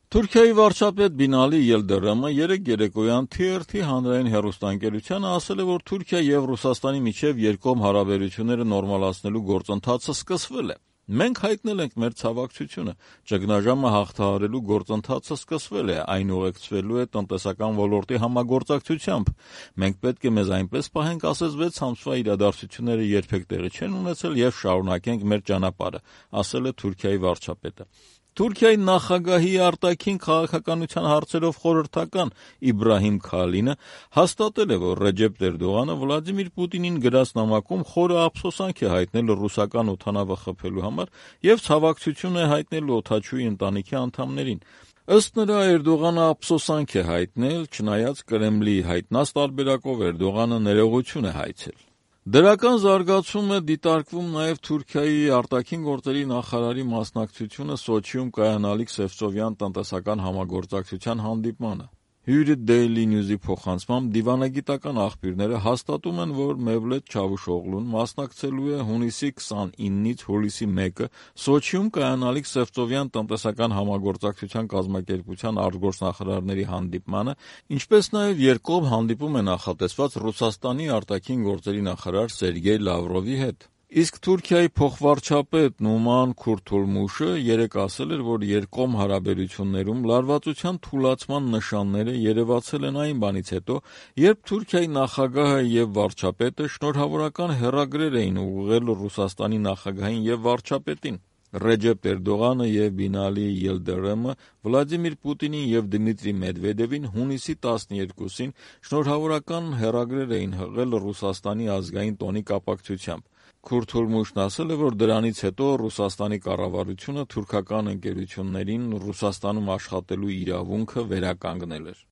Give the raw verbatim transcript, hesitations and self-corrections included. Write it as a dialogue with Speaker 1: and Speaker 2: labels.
Speaker 1: Թուրքիայի վարչապետ Բինալի Ելդերեմը երեկ երեկոյան Թի Ար Թի հանրային հեռուստաընկերությանը ասել է, որ Թուրքիա եւ Ռուսաստանի միջեւ երկկողմ հարաբերությունները նորմալացնելու գործընթացը սկսվել է։ Մենք հայտնել ենք մեր ցավակցությունը, ճգնաժամը հաղթահարելու գործընթացը սկսվել է, այն ուղեկցվելու է տնտեսական ոլորտի համագործակցությամբ։ Մենք պետք է մեզ այնպես պահենք, ասես վեց ամսվա իրադարձությունները երբեք տեղի չեն ունեցել եւ շարունակենք մեր ճանապարհը, ասել է Թուրքիայի վարչապետը։ Թուրքիայի նախագահի արտաքին քաղաքականության հարցերով խորհրդական Իբրահիմ Քալինը հաստատել է, որ Ռեջեփ Էրդողանը Վլադիմիր Պուտինին գրած նամակում խորը ափսոսանք է հայտնել ռուսական օդանավը խփելու համար եւ ցավակցություն է հայտնել օդաչուի ընտանիքի անդամներին։ Ըստ նրա, Էրդողանը ափսոսանք է հայտնել, չնայած Կրեմլի հայտնած տարբերակով Էրդողանը ներողություն է հայցել։ Դրական զարգացում է դիտարկվում նաև Թուրքիայի արտաքին գործերի նախարարի մասնակցությունը Սոչիում կայանալիք Սևծովյան տնտեսական համագործակցության հանդիպմանը։ Հյուրը Daily News-ի փոխանցմամբ դիվանագիտական աղբյուրները հաստատում են, որ Մևլեթ Չավուշօղլուն մասնակցելու է հունիսի քսանինից հուլիսի մեկը Սոչիում կայանալիք Սևծովյան տնտեսական համագործակցության կազմակերպության արտգործնախարարների հանդիպմանը, ինչպես նաև երկկողմ հանդիպում է նախատեսված Ռուսաստանի արտաքին գործերի նախարար Սերգեյ Լավրովի հետ։ Իսկ Թուրքիայի փոխվարչապետ Նուման Քուրթուլմուշը երեկ ասել էր, որ երկկողմ հարաբերություններում լարվածության թուլացման նշանները երևացել են այն բանից հետո, երբ Թուրքիայի նախագահը եւ վարչապետը շնորհավորական հեռագրեր էին ուղղել Ռուսաստանի նախագահին եւ վարչապետին։ Ռեջեփ Էրդողանը եւ Բինալի Ելդերեմը Վլադիմիր Պուտինին եւ Դմիտրի Մեդվեդևին հունիսի տասներկուսին շնորհավորական հեռագրեր էին հղել Ռուսաստանի ազգային տոնի կապակցությամբ։ Քուրթուլմուշն ասել է, որ դրանից հետո Ռուսաստանի կառավարությունը թուրքական ընկերություններին Ռուսաստանում աշխատելու իրավունքը վերականգնել էր։